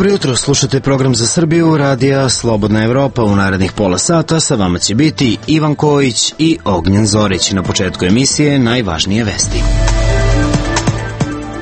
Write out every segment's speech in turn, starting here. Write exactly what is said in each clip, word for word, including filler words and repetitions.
Dobro jutro, slušate program za Srbiju, radija Slobodna Evropa. U narednih pola sata sa vama će biti Ivan Kojić i Ognjen Zorić. Na početku emisije najvažnije vesti.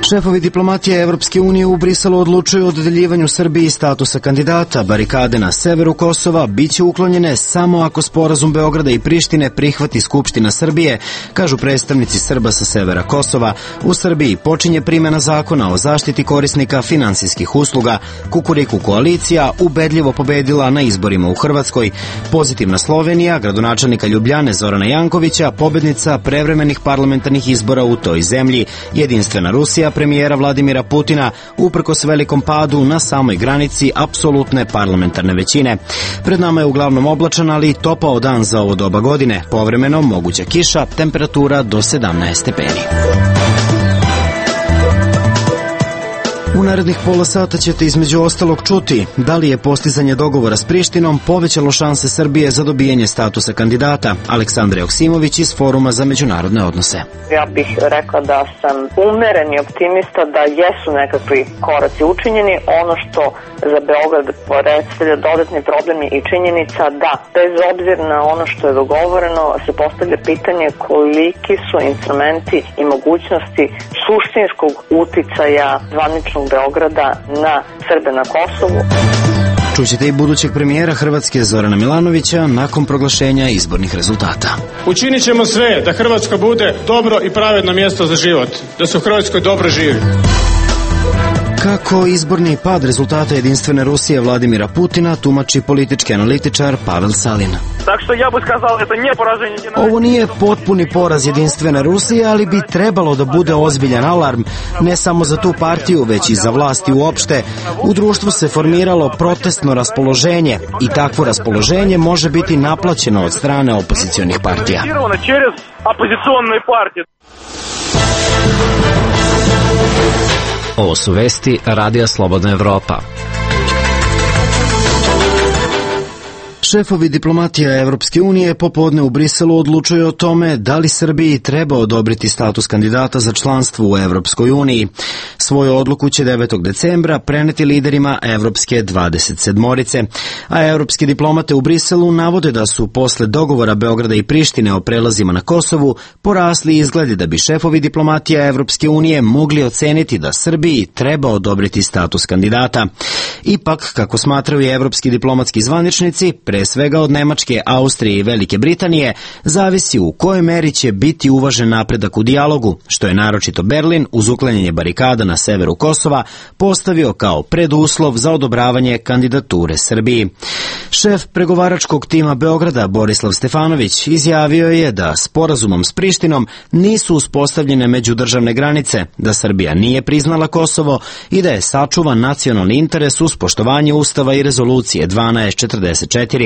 Šefovi diplomatije Evropske unije u Briselu odlučuju o dodeljivanju Srbiji statusa kandidata. Barikade na severu Kosova biće uklonjene samo ako sporazum Beograda i Prištine prihvati Skupština Srbije, kažu predstavnici Srba sa severa Kosova. U Srbiji počinje primjena zakona o zaštiti korisnika finansijskih usluga. Kukuriku koalicija ubedljivo pobedila na izborima u Hrvatskoj. Pozitivna Slovenija, gradonačelnika Ljubljane Zorana Jankovića, pobednica prevremenih parlamentarnih izbora u toj zemlji. Jedinstvena Rusija premijera Vladimira Putina uprkos velikom padu na samoj granici apsolutne parlamentarne većine. Pred nama je uglavnom oblačan, ali topao dan za ovo doba godine. Povremeno moguća kiša, temperatura do sedamnaest stepeni. U narednih pola sata ćete između ostalog čuti da li je postizanje dogovora s Prištinom povećalo šanse Srbije za dobijanje statusa kandidata. Aleksandra Joksimović iz Foruma za međunarodne odnose. Ja bih rekla da sam umeren i optimista da jesu nekakvi koraci učinjeni. Ono što za Beograd predstavlja dodatni problem i činjenica da bez obzira na ono što je dogovoreno se postavlja pitanje koliki su instrumenti i mogućnosti suštinskog uticaja zvaničnog Beograda na Srbe na Kosovu. Čućete i budućeg premijera Hrvatske Zorana Milanovića nakon proglašenja izbornih rezultata. Učinit ćemo sve da Hrvatska bude dobro i pravedno mjesto za život, da se u Hrvatskoj dobro živi. Kako izborni pad rezultata Jedinstvene Rusije Vladimira Putina tumači politički analitičar Pavel Salin. Tak što ja bih skazao, to nije poraženje. Ovo nije potpuni poraz Jedinstvene Rusije, ali bi trebalo da bude ozbiljan alarm, ne samo za tu partiju, već i za vlasti uopšte. U društvu se formiralo protestno raspoloženje i takvo raspoloženje može biti naplaćeno od strane opozicionih partija. Ovo su vesti Radija Slobodna Evropa. Šefovi diplomatija Evropske unije popodne u Briselu odlučuju o tome da li Srbiji treba odobriti status kandidata za članstvo u Evropskoj uniji. Svoju odluku će devetog decembra preneti liderima Evropske dvadeset sedmorice, a evropske diplomate u Briselu navode da su posle dogovora Beograda i Prištine o prelazima na Kosovu porasli izgledi da bi šefovi diplomatija Evropske unije mogli oceniti da Srbiji treba odobriti status kandidata. Ipak, kako smatraju i evropski diplomatski zvaničnici, pre svega od Nemačke, Austrije i Velike Britanije, zavisi u kojoj meri će biti uvažen napredak u dijalogu, što je naročito Berlin uz uklanjanje barikada na severu Kosova postavio kao preduslov za odobravanje kandidature Srbiji. Šef pregovaračkog tima Beograda Borislav Stefanović izjavio je da sporazumom s Prištinom nisu uspostavljene međudržavne granice, da Srbija nije priznala Kosovo i da je sačuvan nacionalni interes uz poštovanje Ustava i rezolucije dvanaest četrdeset četiri.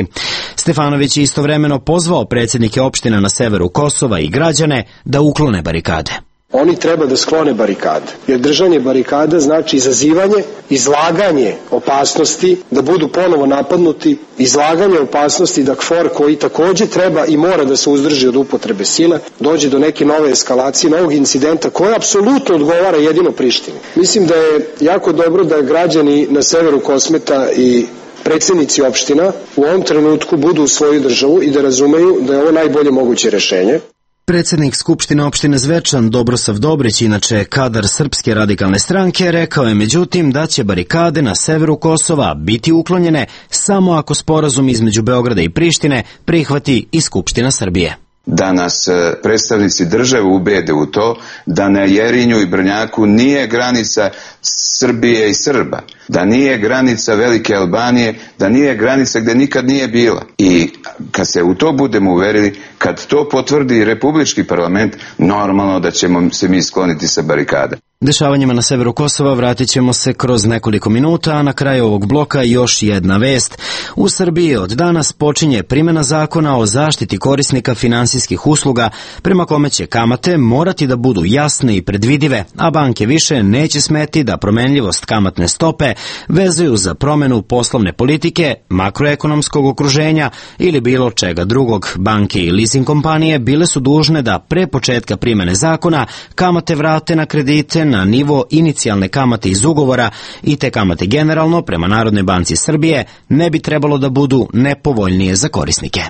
Stefanović je istovremeno pozvao predsjednike opština na severu Kosova i građane da uklone barikade. Oni treba da sklone barikade, jer držanje barikada znači izazivanje, izlaganje opasnosti, da budu ponovo napadnuti, izlaganje opasnosti da KFOR koji takođe treba i mora da se uzdrži od upotrebe sile, dođe do neke nove eskalacije, novog incidenta koji apsolutno odgovara jedino Prištini. Mislim da je jako dobro da građani na severu Kosmeta i predsjednici opština u ovom trenutku budu u svoju državu i da razumeju da je ovo najbolje moguće rešenje. Predsjednik Skupštine opštine Zvečan Dobrosav Dobrić, inače kadar Srpske radikalne stranke, rekao je međutim da će barikade na severu Kosova biti uklonjene samo ako sporazum između Beograda i Prištine prihvati i Skupština Srbije. Da nas predstavnici države ubede u to da na Jerinju i Brnjaku nije granica Srbije i Srba, da nije granica Velike Albanije, da nije granica gde nikad nije bila. I kad se u to budemo uverili, kad to potvrdi Republički parlament, normalno da ćemo se mi skloniti sa barikada. Dešavanjima na severu Kosova vratit ćemo se kroz nekoliko minuta, a na kraju ovog bloka još jedna vest. U Srbiji od danas počinje primjena zakona o zaštiti korisnika finansijskih usluga, prema kome će kamate morati da budu jasne i predvidive, a banke više neće smeti da promenljivost kamatne stope vezuju za promenu poslovne politike, makroekonomskog okruženja ili bilo čega drugog. Banke i leasing kompanije bile su dužne da pre početka primjene zakona kamate vrate na kredite kamate na nivo inicijalne kamate iz ugovora i te kamate generalno prema Narodnoj banci Srbije ne bi trebalo da budu nepovoljnije za korisnike.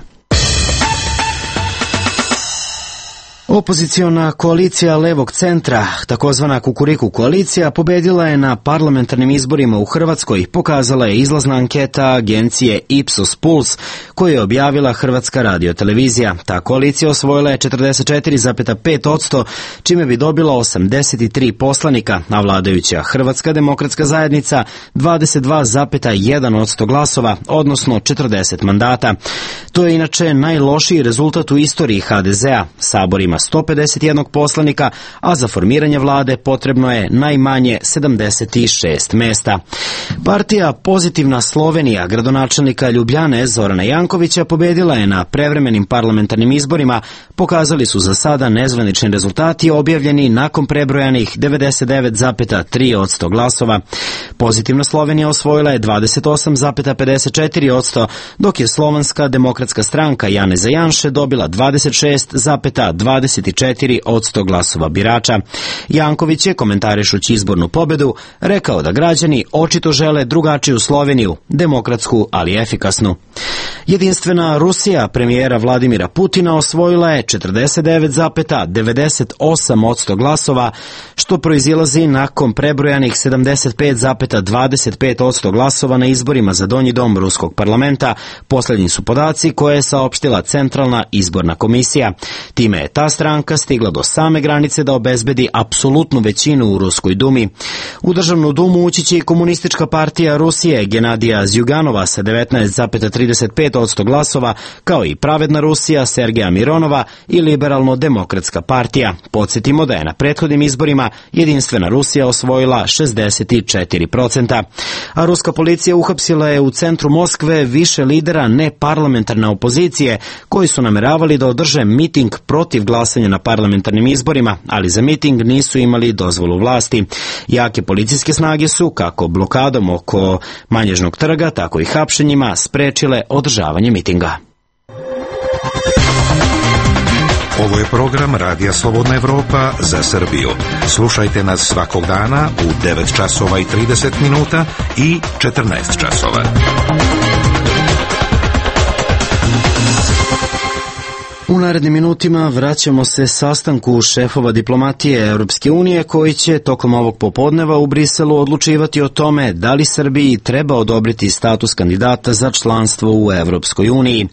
Opoziciona koalicija levog centra, takozvana Kukuriku koalicija, pobedila je na parlamentarnim izborima u Hrvatskoj, pokazala je izlazna anketa agencije Ipsos Puls koju je objavila Hrvatska radiotelevizija. Ta koalicija osvojila je četrdeset četiri zarez pet posto, čime bi dobila osamdeset tri poslanika, a vladajuća Hrvatska demokratska zajednica dvadeset dva zarez jedan posto glasova, odnosno četrdeset mandata. To je inače najlošiji rezultat u istoriji ha de zea. Sabor ima sto pedeset jedan poslanika, a za formiranje vlade potrebno je najmanje sedamdeset šest mesta. Partija Pozitivna Slovenija gradonačelnika Ljubljane Zorana Jankovića pobedila je na prevremenim parlamentarnim izborima, pokazali su za sada nezvanični rezultati objavljeni nakon prebrojanih devedeset devet zarez tri posto glasova. Pozitivna Slovenija osvojila je dvadeset osam zarez pedeset četiri posto, dok je Slovanska demokratska stranka Janeza Janše dobila dvadeset šest zarez dvadeset četiri posto glasova birača. Janković je, komentarišući izbornu pobedu, rekao da građani očito žele drugačiju Sloveniju, demokratsku, ali efikasnu. Jedinstvena Rusija premijera Vladimira Putina osvojila je četrdeset devet zarez devedeset osam posto glasova, što proizilazi nakon prebrojanih sedamdeset pet zarez dvadeset pet posto glasova na izborima za donji dom ruskog parlamenta. Poslednji su podaci koje je saopštila Centralna izborna komisija. Time je ta stranka stigla do same granice da obezbedi apsolutnu većinu u Ruskoj dumi. U Državnu dumu ući će i Komunistička partija Rusije Genadija Zjuganova sa devetnaest zarez trideset pet posto glasova, kao i Pravedna Rusija Sergeja Mironova i Liberalno-demokratska partija. Podsjetimo da je na prethodnim izborima Jedinstvena Rusija osvojila šezdeset četiri posto. A ruska policija uhapsila je u centru Moskve više lidera neparlamentarne opozicije koji su nameravali da održe miting protiv glasanja na parlamentarnim izborima, ali za miting nisu imali dozvolu vlasti. Jake policijske snage su, kako blokadom oko Manježnog trga, tako i hapšenjima, sprečile održavanje mitinga. Ovo je program Radija Slobodna Evropa za Srbiju. Slušajte nas svakog dana u devet časova i trideset minuta i četrnaest časova. U narednim minutima vraćamo se sastanku šefova diplomatije Europske unije koji će tokom ovog popodneva u Briselu odlučivati o tome da li Srbiji treba odobriti status kandidata za članstvo u Europskoj uniji.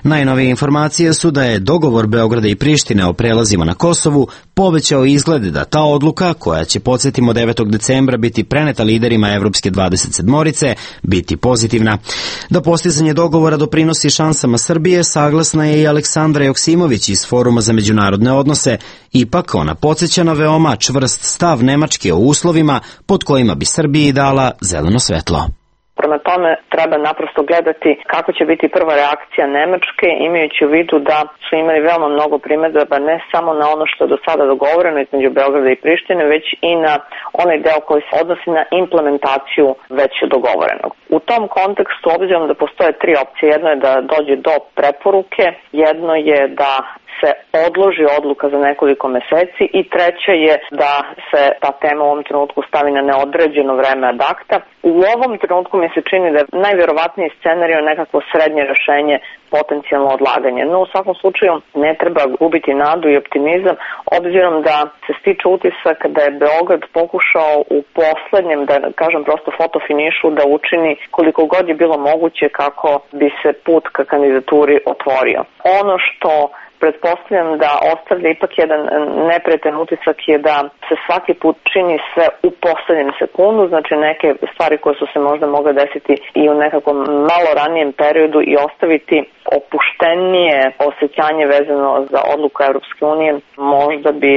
Najnovije informacije su da je dogovor Beograda i Prištine o prelazima na Kosovu povećao izglede da ta odluka, koja će, podsjetimo, devetog decembra biti preneta liderima Evropske dvadeset sedmorice, biti pozitivna. Da postizanje dogovora doprinosi šansama Srbije, saglasna je i Aleksandra Joksimović iz Foruma za međunarodne odnose. Ipak ona podsjeća na veoma čvrst stav Nemačke o uslovima pod kojima bi Srbiji dala zeleno svetlo. Prema tome treba naprosto gledati kako će biti prva reakcija Nemačke, imajući u vidu da su imali veoma mnogo primedaba ne samo na ono što je do sada dogovoreno između Beograda i Prištine, već i na onaj deo koji se odnosi na implementaciju već dogovorenog. U tom kontekstu, obzirom da postoje tri opcije, jedno je da dođe do preporuke, jedno je da se odloži odluka za nekoliko meseci i treće je da se ta tema u ovom trenutku stavi na neodređeno vreme ad acta. U ovom trenutku mi se čini da je najvjerovatniji scenarij nekakvo srednje rešenje, potencijalno odlaganje. No u svakom slučaju ne treba gubiti nadu i optimizam, obzirom da se stiče utisak da je Beograd pokušao u poslednjem, da kažem prosto fotofinišu, da učini koliko god je bilo moguće kako bi se put ka kandidaturi otvorio. Ono što pretpostavljam da ostavlja ipak jedan neprijetan utisak je da se svaki put čini sve u poslednjem sekundu, znači neke stvari koje su se možda mogle desiti i u nekakvom malo ranijem periodu i ostaviti opuštenije osjećanje vezano za odluku Europske unije možda bi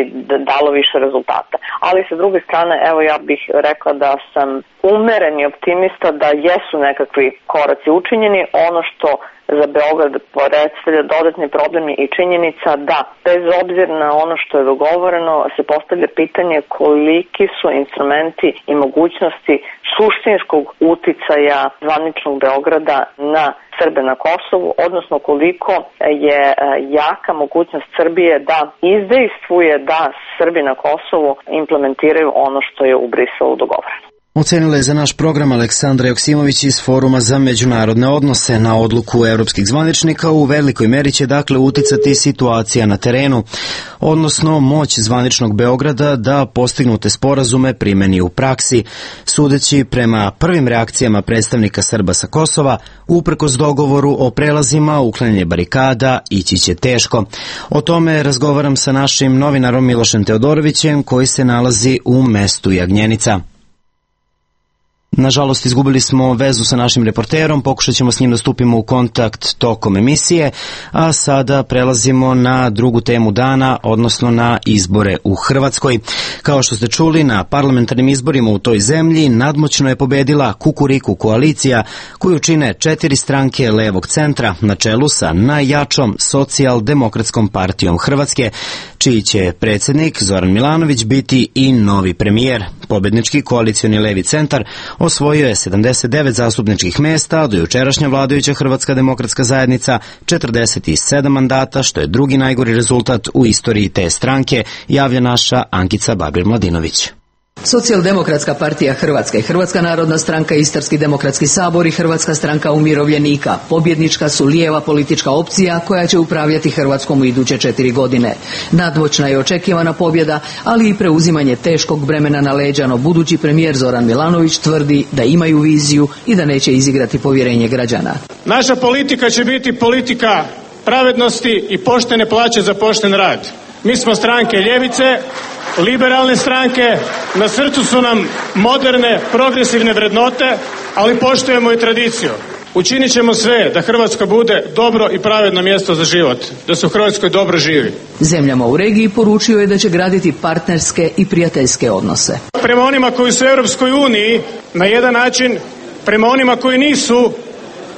dalo više rezultata. Ali sa druge strane, evo ja bih rekla da sam umeren i optimista da jesu nekakvi koraci učinjeni. Ono što za Beograd predstavlja dodatni problem i činjenica činjenica da, bez obzira na ono što je dogovoreno, se postavlja pitanje koliki su instrumenti i mogućnosti suštinskog uticaja zvaničnog Beograda na Srbe na Kosovu, odnosno koliko je jaka mogućnost Srbije da izdejstvuje da Srbi na Kosovu implementiraju ono što je u Briselu dogovoreno. Ocenila je za naš program Aleksandra Joksimović iz Foruma za međunarodne odnose. Na odluku evropskih zvaničnika u velikoj meri će dakle uticati situacija na terenu, odnosno moć zvaničnog Beograda da postignute sporazume primeni u praksi. Sudeći prema prvim reakcijama predstavnika Srba sa Kosova, uprkos dogovoru o prelazima, uklanjanje barikada ići će teško. O tome razgovaram sa našim novinarom Milošem Teodorovićem, koji se nalazi u mestu Jagnjenica. Nažalost, izgubili smo vezu sa našim reporterom, pokušat ćemo s njim da stupimo u kontakt tokom emisije, a sada prelazimo na drugu temu dana, odnosno na izbore u Hrvatskoj. Kao što ste čuli, na parlamentarnim izborima u toj zemlji nadmoćno je pobedila Kukuriku koalicija, koju čine četiri stranke levog centra, na čelu sa najjačom Socijaldemokratskom partijom Hrvatske, čiji će predsjednik Zoran Milanović biti i novi premijer. Pobednički koalicioni levi centar osvojio je sedamdeset devet zastupničkih mesta, a do jučerašnja vladajuća Hrvatska demokratska zajednica četrdeset sedam mandata, što je drugi najgori rezultat u istoriji te stranke, javlja naša Ankica Babir-Mladinović. Socijaldemokratska partija Hrvatske, Hrvatska narodna stranka, Istarski demokratski sabor i Hrvatska stranka umirovljenika pobjednička su lijeva politička opcija koja će upravljati Hrvatskom u iduće četiri godine. Nadmoćna je očekivana pobjeda, ali i preuzimanje teškog bremena na leđa, no budući premijer Zoran Milanović tvrdi da imaju viziju i da neće izigrati povjerenje građana. Naša politika će biti politika pravednosti i poštene plaće za pošten rad. Mi smo stranke ljevice, liberalne stranke, na srcu su nam moderne, progresivne vrednote, ali poštujemo i tradiciju. Učinit ćemo sve da Hrvatska bude dobro i pravedno mjesto za život, da se u Hrvatskoj dobro živi. Zemljama u regiji poručio je da će graditi partnerske i prijateljske odnose. Prema onima koji su u Europskoj uniji, na jedan način, prema onima koji nisu,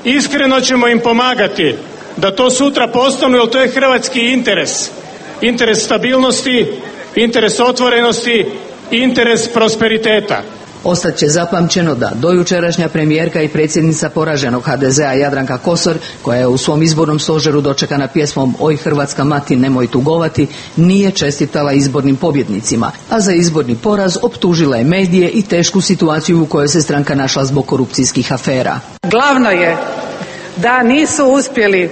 iskreno ćemo im pomagati da to sutra postanu, jer to je hrvatski interes. Interes stabilnosti, interes otvorenosti, interes prosperiteta. Ostat će zapamćeno da dojučerašnja premijerka i predsjednica poraženog ha de zea Jadranka Kosor, koja je u svom izbornom stožeru dočekana pjesmom Oj Hrvatska mati nemoj tugovati, nije čestitala izbornim pobjednicima, a za izborni poraz optužila je medije i tešku situaciju u kojoj se stranka našla zbog korupcijskih afera. Glavno je da nisu uspjeli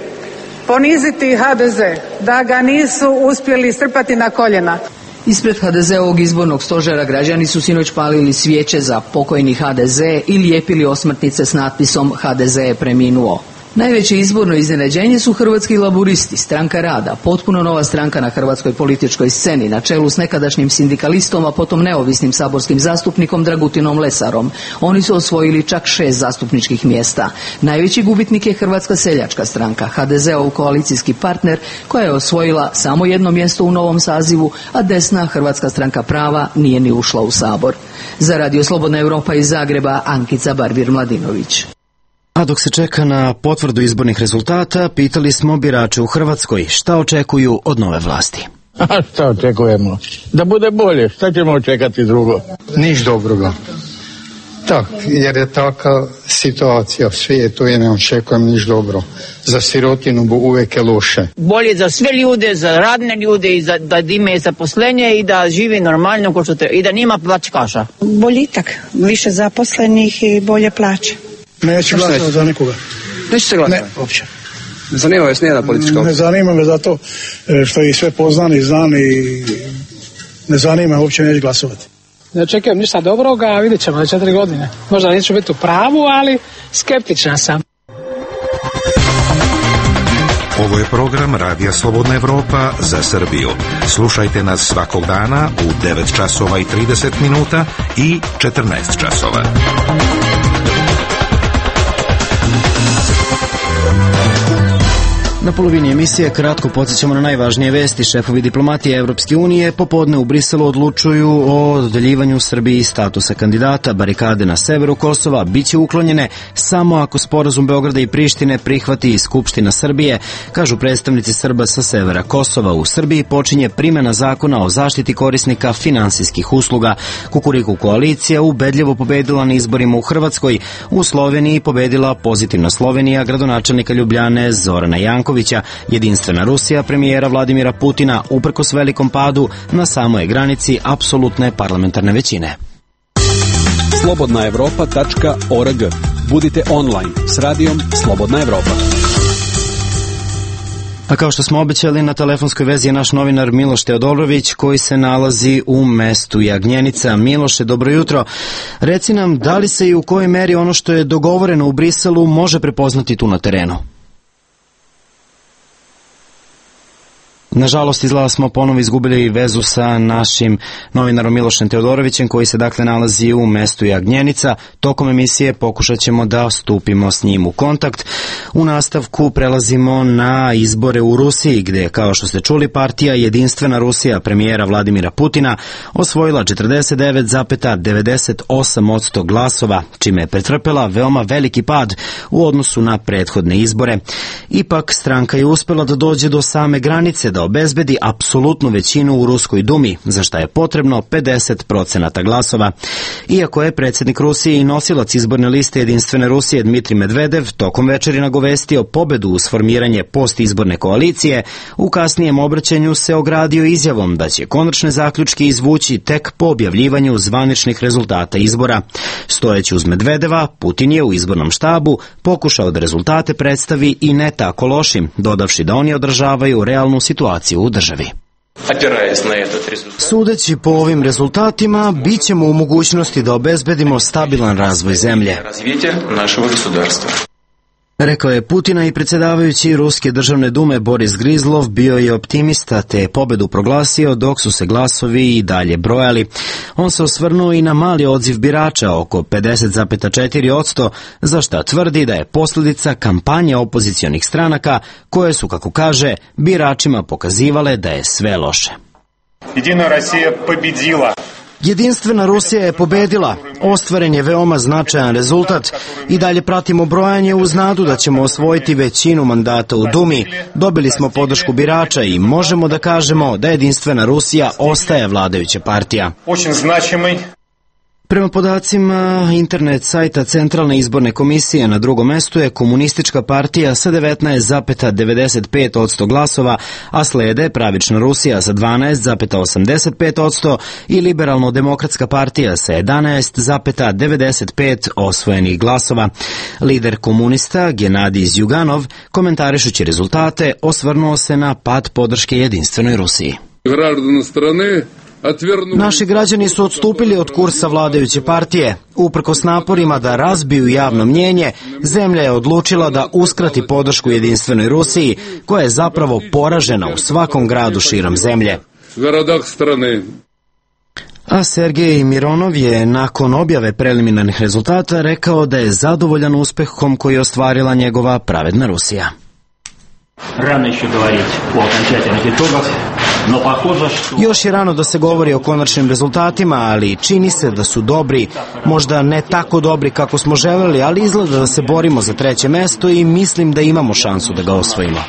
poniziti ha de ze, da ga nisu uspjeli strpati na koljena. Ispred ha de zeovog izbornog stožera građani su sinoć palili svijeće za pokojni ha de ze i lijepili osmrtnice s natpisom ha de ze je preminuo. Najveće izborno iznenađenje su Hrvatski laburisti, stranka rada, potpuno nova stranka na hrvatskoj političkoj sceni, na čelu s nekadašnjim sindikalistom, a potom neovisnim saborskim zastupnikom Dragutinom Lesarom. Oni su osvojili čak šest zastupničkih mjesta. Najveći gubitnik je Hrvatska seljačka stranka, ha de zeov koalicijski partner, koja je osvojila samo jedno mjesto u novom sazivu, a desna Hrvatska stranka prava nije ni ušla u Sabor. Za Radio Slobodna Europa iz Zagreba, Ankica Babir-Mladinović. A dok se čeka na potvrdu izbornih rezultata, pitali smo birače u Hrvatskoj šta očekuju od nove vlasti. A šta očekujemo? Da bude bolje, šta ćemo očekati drugo? Niš dobroga. Tak, jer je taka situacija u svijetu i ne očekujem niš dobro. Za sirotinu bu uvijek je loše. Bolje za sve ljude, za radne ljude i za, da imaju zaposlenje i da živi normalno ko što treba, i da nima pljačkaša. Boljitak, više zaposlenih i bolje plaće. Neću glasati za nikoga. Neću se glasati? Ne, uopće. Ne zanima vas nijedna politička opcija? Ne zanima me zato što ih sve poznam i znam i ne zanima me, uopće neću glasovati. Ne očekujem ništa dobroga, a vidjet ćemo za četiri godine. Možda neću biti u pravu, ali skeptična sam. Ovo je program Radija Slobodna Evropa za Srbiju. Slušajte nas svakog dana u devet časova i trideset minuta i četrnaest časova. Na polovini emisije kratko podsjećamo na najvažnije vesti. Šefovi diplomatije Evropske unije popodne u Briselu odlučuju o dodeljivanju Srbiji statusa kandidata. Barikade na severu Kosova biće uklonjene samo ako sporazum Beograda i Prištine prihvati i Skupština Srbije, kažu predstavnici Srba sa severa Kosova. U Srbiji počinje primjena zakona o zaštiti korisnika finansijskih usluga. Kukuriku koalicija ubedljivo pobedila na izborima u Hrvatskoj. U Sloveniji pobedila Pozitivna Slovenija gradonačelnika Ljubljane Zorana Jankovića. Jedinstvena Rusija premijera Vladimira Putina uprkos velikom padu na samoj granici apsolutne parlamentarne većine. slobodna evropa tačka org. Budite online s radijom Slobodna Evropa. A kao što smo obećali, na telefonskoj vezi je naš novinar Miloš Teodorović koji se nalazi u mestu Jagnjenica. Miloše, dobro jutro. Reci nam, da li se i u kojoj meri ono što je dogovoreno u Briselu može prepoznati tu na terenu? Nažalost, izgleda smo ponovo izgubili vezu sa našim novinarom Milošem Teodorovićem koji se dakle nalazi u mestu Jagnjenica. Tokom emisije pokušat ćemo da stupimo s njim u kontakt. U nastavku prelazimo na izbore u Rusiji gdje, kao što ste čuli, partija Jedinstvena Rusija premijera Vladimira Putina osvojila četrdeset devet zarez devedeset osam posto glasova, čime je pretrpela veoma veliki pad u odnosu na prethodne izbore. Ipak, stranka je uspela da dođe do same granice da obezbedi apsolutnu većinu u Ruskoj dumi, za šta je potrebno pedeset procenata glasova. Iako je predsjednik Rusije i nosilac izborne liste Jedinstvene Rusije Dmitrij Medvedev tokom večeri nagovestio pobedu uz formiranje postizborne koalicije, u kasnijem obraćanju se ogradio izjavom da će konačne zaključke izvući tek po objavljivanju zvaničnih rezultata izbora. Stojeći uz Medvedeva, Putin je u izbornom štabu pokušao da rezultate predstavi i ne tako lošim, dodavši da oni održavaju realnu situaciju u državi. Sudeći po ovim rezultatima, bit ćemo u mogućnosti da obezbedimo stabilan razvoj zemlje, rekao je Putina i predsjedavajući Ruske državne dume Boris Grizlov bio je optimista te je pobedu proglasio dok su se glasovi i dalje brojali. On se osvrnuo i na mali odziv birača, oko pedeset zarez četiri posto, za šta tvrdi da je posljedica kampanje opozicionih stranaka koje su, kako kaže, biračima pokazivale da je sve loše. Jedina Rusija pobedila. Jedinstvena Rusija je pobedila, ostvaren je veoma značajan rezultat i dalje pratimo brojanje uz nadu da ćemo osvojiti većinu mandata u Dumi. Dobili smo podršku birača i možemo da kažemo da Jedinstvena Rusija ostaje vladajuća partija. Prema podacima internet sajta Centralne izborne komisije, na drugom mestu je Komunistička partija sa devetnaest zarez devedeset pet posto glasova, a slede Pravična Rusija sa dvanaest zarez osamdeset pet posto i Liberalno-demokratska partija sa jedanaest zarez devedeset pet osvojenih glasova. Lider komunista Genadij Zjuganov, komentarišući rezultate, osvrnuo se na pad podrške Jedinstvenoj Rusiji. Naši građani su odstupili od kursa vladajuće partije. Uprkos naporima da razbiju javno mnjenje, zemlja je odlučila da uskrati podršku Jedinstvenoj Rusiji, koja je zapravo poražena u svakom gradu širom zemlje. A Sergej Mironov je nakon objave preliminarnih rezultata rekao da je zadovoljan uspehom koji je ostvarila njegova Pravedna Rusija. Rano еще говорить о окончательных итогах. Još je rano da se govori o konačnim rezultatima, ali čini se da su dobri, možda ne tako dobri kako smo želeli, ali izgleda da se borimo za treće mesto i mislim da imamo šansu da ga osvojimo.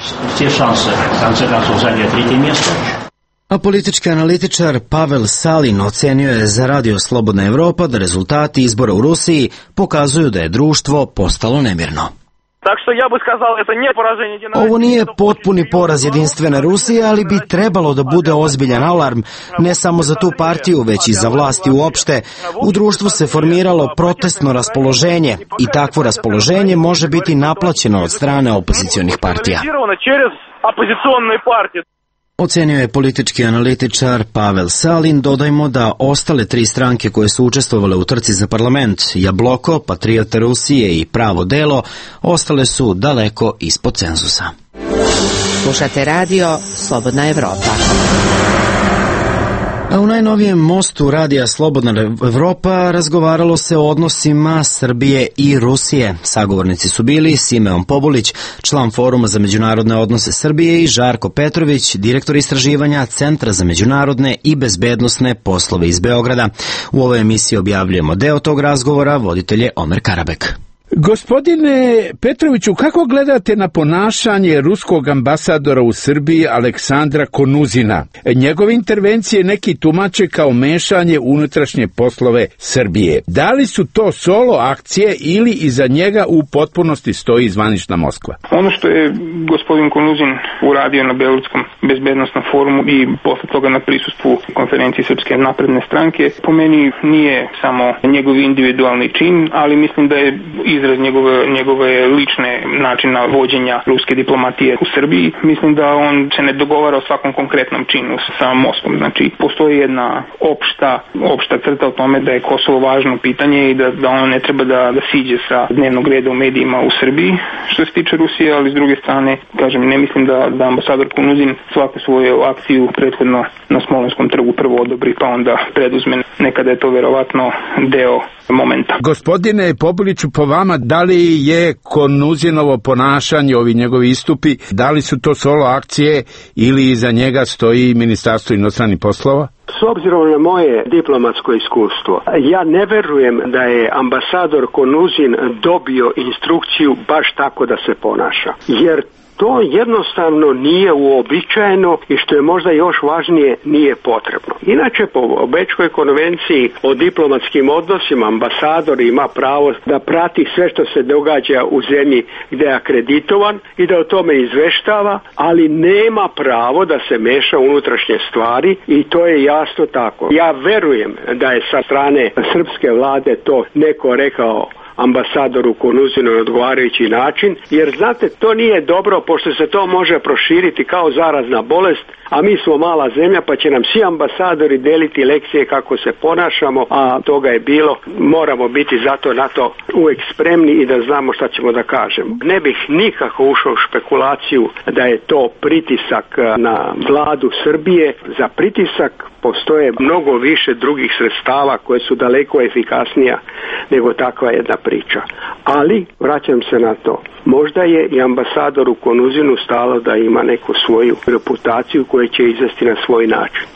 A politički analitičar Pavel Salin ocenio je za Radio Slobodna Evropa da rezultati izbora u Rusiji pokazuju da je društvo postalo nemirno. Ovo nije potpuni poraz Jedinstvene Rusije, ali bi trebalo da bude ozbiljan alarm, ne samo za tu partiju, već i za vlasti uopšte. U društvu se formiralo protestno raspoloženje i takvo raspoloženje može biti naplaćeno od strane opozicionih partija. Ocenio je politički analitičar Pavel Salin. Dodajmo da ostale tri stranke koje su učestvovale u trci za parlament, Jabloko, Patriota Rusije i Pravo delo, ostale su daleko ispod cenzusa. Slušate radio Slobodna Evropa. A u najnovijem mostu radija Slobodna Evropa razgovaralo se o odnosima Srbije i Rusije. Sagovornici su bili Simeon Pobulić, član Foruma za međunarodne odnose Srbije, i Žarko Petrović, direktor istraživanja Centra za međunarodne i bezbednosne poslove iz Beograda. U ovoj emisiji objavljujemo deo tog razgovora, voditelj je Omer Karabek. Gospodine Petroviću, kako gledate na ponašanje ruskog ambasadora u Srbiji Aleksandra Konuzina? Njegove intervencije neki tumače kao mešanje u unutrašnje poslove Srbije. Da li su to solo akcije ili iza njega u potpunosti stoji zvanična Moskva? Ono što je gospodin Konuzin uradio na Beogradskom bezbednosnom forumu i posle toga na prisustvu konferenciji Srpske napredne stranke, po meni nije samo njegov individualni čin, ali mislim da je izraz njegove, njegove lične načina vođenja ruske diplomatije u Srbiji. Mislim da on se ne dogovara o svakom konkretnom činu sa Moskvom. Znači, postoji jedna opšta, opšta crta o tome da je Kosovo važno pitanje i da, da ono ne treba da, da siđe sa dnevnog reda u medijima u Srbiji, što se tiče Rusije, ali s druge strane, kažem, ne mislim da, da ambasador Konuzin svaku svoju akciju prethodno na Smolenskom trgu prvo odobri, pa onda preduzme. Nekada je to verovatno deo momenta. Gospodine Pobuliću, po vama, da li je Konuzinovo ponašanje, ovi njegovi istupi, da li su to solo akcije ili iza njega stoji Ministarstvo inostranih poslova? S obzirom na moje diplomatsko iskustvo, ja ne verujem da je ambasador Konuzin dobio instrukciju baš tako da se ponaša. Jer to jednostavno nije uobičajeno i što je možda još važnije, nije potrebno. Inače, po Bečkoj konvenciji o diplomatskim odnosima ambasador ima pravo da prati sve što se događa u zemlji gdje je akreditovan i da o tome izveštava, ali nema pravo da se meša unutrašnje stvari i to je jasno tako. Ja verujem da je sa strane srpske vlade to neko rekao ambasadoru Konuzinu na odgovarajući način, jer znate, to nije dobro pošto se to može proširiti kao zarazna bolest, a mi smo mala zemlja pa će nam svi ambasadori deliti lekcije kako se ponašamo, a toga je bilo. Moramo biti zato na to uvijek spremni i da znamo šta ćemo da kažemo. Ne bih nikako ušao u špekulaciju da je to pritisak na vladu Srbije. Za pritisak postoje mnogo više drugih sredstava koje su daleko efikasnija nego takva jedna priča. Ali, vraćam se na to, možda je i ambasadoru Konuzinu stalo da ima neku svoju reputaciju koju će izvesti na svoj način.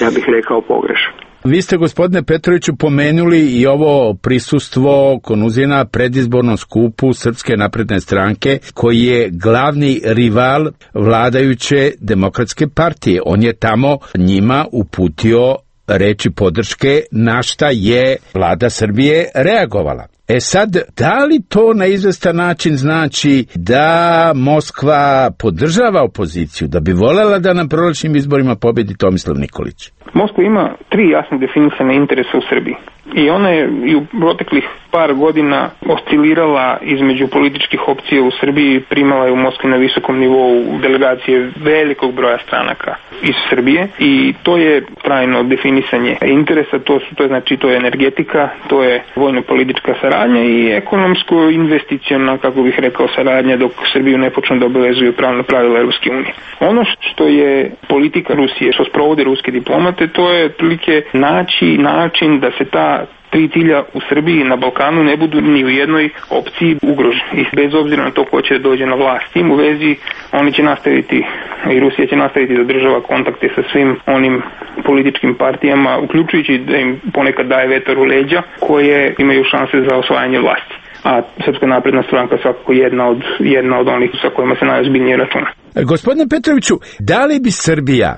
Ja bih rekao pogrešno. Vi ste, gospodine Petroviću, pomenuli i ovo prisustvo Konuzina predizbornom skupu Srpske napredne stranke, koji je glavni rival vladajuće Demokratske partije. On je tamo njima uputio reči podrške, na šta je vlada Srbije reagovala. E sad, da li to na izvestan način znači da Moskva podržava opoziciju, da bi voljela da na prolećnim izborima pobedi Tomislav Nikolić? Moskva ima tri jasno definisane interese u Srbiji. I ona je i u proteklih par godina oscilirala između političkih opcija u Srbiji, primala je u Moskvi na visokom nivou delegacije velikog broja stranaka iz Srbije i to je trajno definisanje interesa, to su to je znači to je energetika, to je vojno-politička saradnja i ekonomsko-investiciona, kako bih rekao, saradnja dok Srbiju ne počne da obavezuju pravna pravila Evropske unije. Ono što je politika Rusije, što sprovode ruske diplomate, to je otprilike naći način da se ta tri cilja u Srbiji i na Balkanu ne budu ni u jednoj opciji ugroženi. I bez obzira na to ko će dođe na vlast. S tim u vezi oni će nastaviti i Rusija će nastaviti da održava kontakte sa svim onim političkim partijama, uključujući da im ponekad daje vetar u leđa, koje imaju šanse za osvajanje vlasti. A Srpska napredna stranka svakako jedna od, jedna od onih sa kojima se najozbiljnije računa. Gospodine Petroviću, da li bi Srbija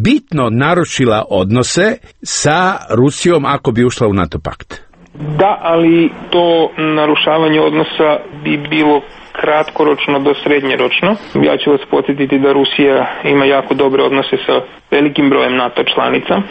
bitno narušila odnose sa Rusijom ako bi ušla u NATO pakt? Da, ali to narušavanje odnosa bi bilo kratkoročno do srednjeročno. Ja ću vas podsjetiti da Rusija ima jako dobre odnose sa velikim brojem NATO članica,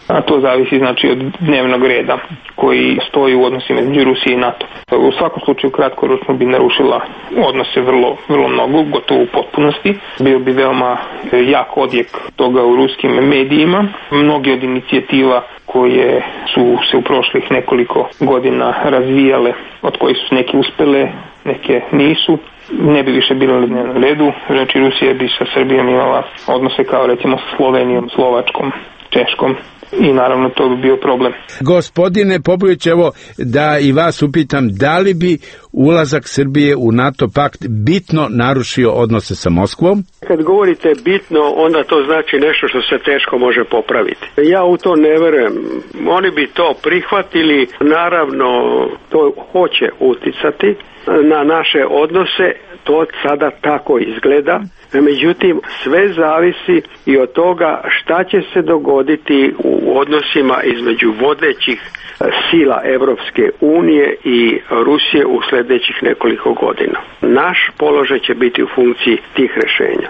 a to zavisi znači od dnevnog reda koji stoji u odnosima između Rusije i NATO. U svakom slučaju kratkoročno bi narušila odnose vrlo, vrlo mnogo, gotovo u potpunosti. Bio bi veoma jak odjek toga u ruskim medijima. Mnogi od inicijativa koje su se u prošlih nekoliko godina razvijale, od kojih su neke uspele, neke nisu, ne bi više bilo na dnevnom redu. Znači Rusija bi sa Srbijom imala odnose kao recimo sa Slovenijom, Slovačkom, Češkom i naravno to bi bio problem. Gospodine Popović, evo da i vas upitam, da li bi ulazak Srbije u NATO pakt bitno narušio odnose sa Moskvom? Kad govorite bitno, onda to znači nešto što se teško može popraviti. Ja u to ne verujem. Oni bi to prihvatili, naravno to hoće uticati na naše odnose, to sada tako izgleda. Međutim, sve zavisi i od toga šta će se dogoditi u odnosima između vodećih sila Evropske unije i Rusije u sljedećih nekoliko godina. Naš položaj će biti u funkciji tih rješenja.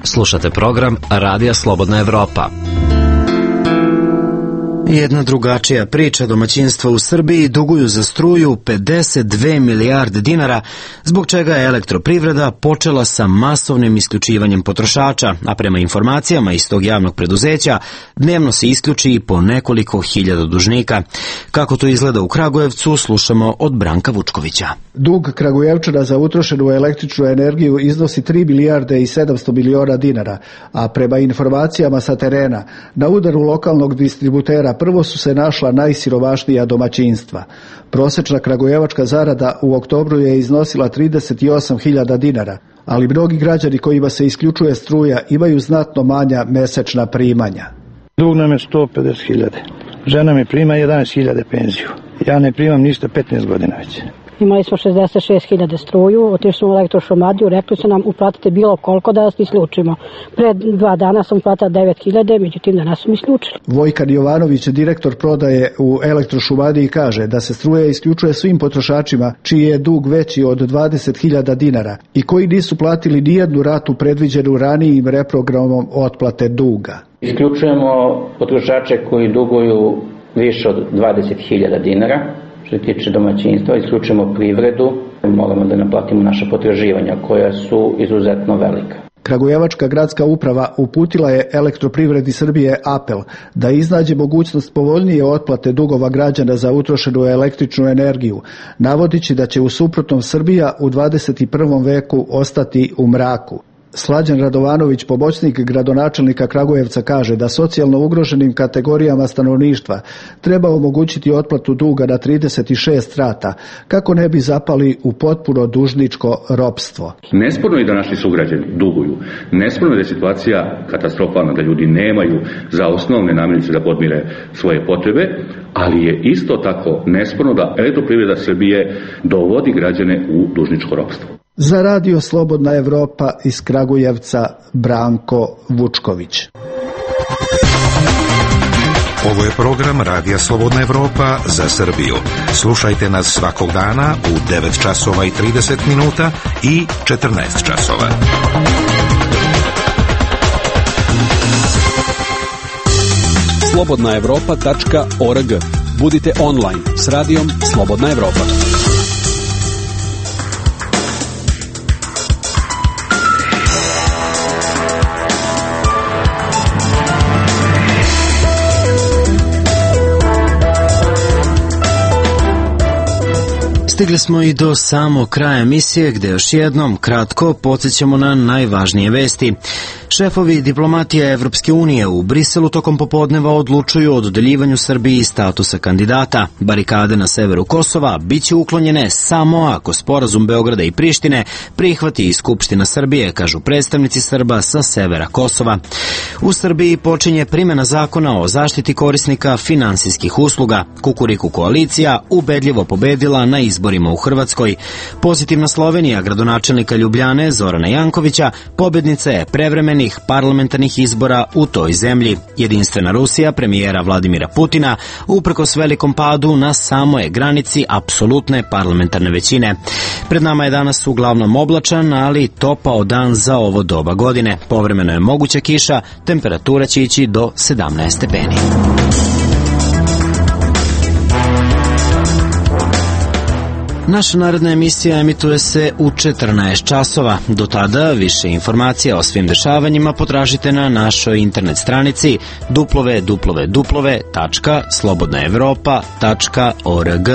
Slušate program Radija Slobodna Evropa. Jedna drugačija priča, domaćinstva u Srbiji duguju za struju pedeset dve milijarde dinara, zbog čega je elektroprivreda počela sa masovnim isključivanjem potrošača, a prema informacijama iz tog javnog preduzeća dnevno se isključi i po nekoliko hiljada dužnika. Kako to izgleda u Kragujevcu, slušamo od Branka Vučkovića. Dug Kragujevčana za utrošenu električnu energiju iznosi tri milijarde i sedamsto miliona dinara, a prema informacijama sa terena, na udaru lokalnog distributera prvo su se našla najsiromašnija domaćinstva. Prosečna kragujevačka zarada u oktobru je iznosila trideset osam hiljada dinara, ali mnogi građani kojima se isključuje struja imaju znatno manja mesečna primanja. Dug nam je sto pedeset hiljada. Žena mi prima jedanaest hiljada penziju. Ja ne primam ništa petnaest godina već. Imali smo šezdeset šest hiljada struju, otišli smo u elektrošumadiju, rekli su nam uplatite bilo koliko da vas isključimo. Pre dva dana sam uplatila devet hiljada, međutim da nas su mi isključili. Vojkan Jovanović, direktor prodaje u elektrošumadiji, kaže da se struja isključuje svim potrošačima čiji je dug veći od dvadeset hiljada dinara i koji nisu platili nijednu ratu predviđenu ranijim reprogramom otplate duga. Isključujemo potrošače koji duguju više od dvadeset hiljada dinara. Što se tiče domaćinstva, isključujemo privredu, moramo da naplatimo naša potraživanja koja su izuzetno velika. Kragujevačka gradska uprava uputila je Elektroprivredi Srbije apel da iznađe mogućnost povoljnije otplate dugova građana za utrošenu električnu energiju, navodići da će u suprotnom Srbija u dvadeset prvom veku ostati u mraku. Slađan Radovanović, pomoćnik gradonačelnika Kragujevca, kaže da socijalno ugroženim kategorijama stanovništva treba omogućiti otplatu duga na trideset šest rata, kako ne bi zapali u potpuno dužničko ropstvo. Nesporno je da naši sugrađani duguju. Nesporno je da je situacija katastrofalna, da ljudi nemaju za osnovne namirnice da podmire svoje potrebe, ali je isto tako nesporno da Elektroprivreda Srbije dovodi građane u dužničko ropstvo. Za Radio Slobodna Evropa iz Kragujevca, Branko Vučković. Ovo je program Radija Slobodna Evropa za Srbiju. Slušajte nas svakog dana u devet časova i trideset minuta i četrnaest časova. slobodna evropa tačka org. Budite online s radijom Slobodna Evropa. Stigli smo i do samog kraja emisije, gde još jednom kratko podsjećamo na najvažnije vesti. Šefovi diplomatije Evropske unije u Briselu tokom popodneva odlučuju o dodeljivanju Srbiji statusa kandidata. Barikade na severu Kosova biće uklonjene samo ako sporazum Beograda i Prištine prihvati i Skupština Srbije, kažu predstavnici Srba sa severa Kosova. U Srbiji počinje primjena zakona o zaštiti korisnika finansijskih usluga. Kukuriku koalicija ubedljivo pobedila na izborima u Hrvatskoj. Pozitivna Slovenija gradonačelnika Ljubljane Zorana Jankovića pobednica je prevremenih parlamentarnih izbora u toj zemlji. Jedinstvena Rusija premijera Vladimira Putina uprkos velikom padu na samoj granici apsolutne parlamentarne većine. Pred nama je danas uglavnom oblačan, ali topao dan za ovo doba godine. Povremeno je moguća kiša, temperatura će ići do sedamnaest stepeni. Naša naredna emisija emituje se u četrnaest časova. Do tada više informacija o svim dešavanjima potražite na našoj internet stranici w w w tačka slobodna evropa tačka org.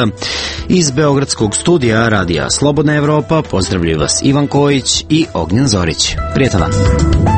Iz Beogradskog studija Radija Slobodna Evropa pozdravljaju vas Ivan Kojić i Ognjen Zorić. Prijetan dan.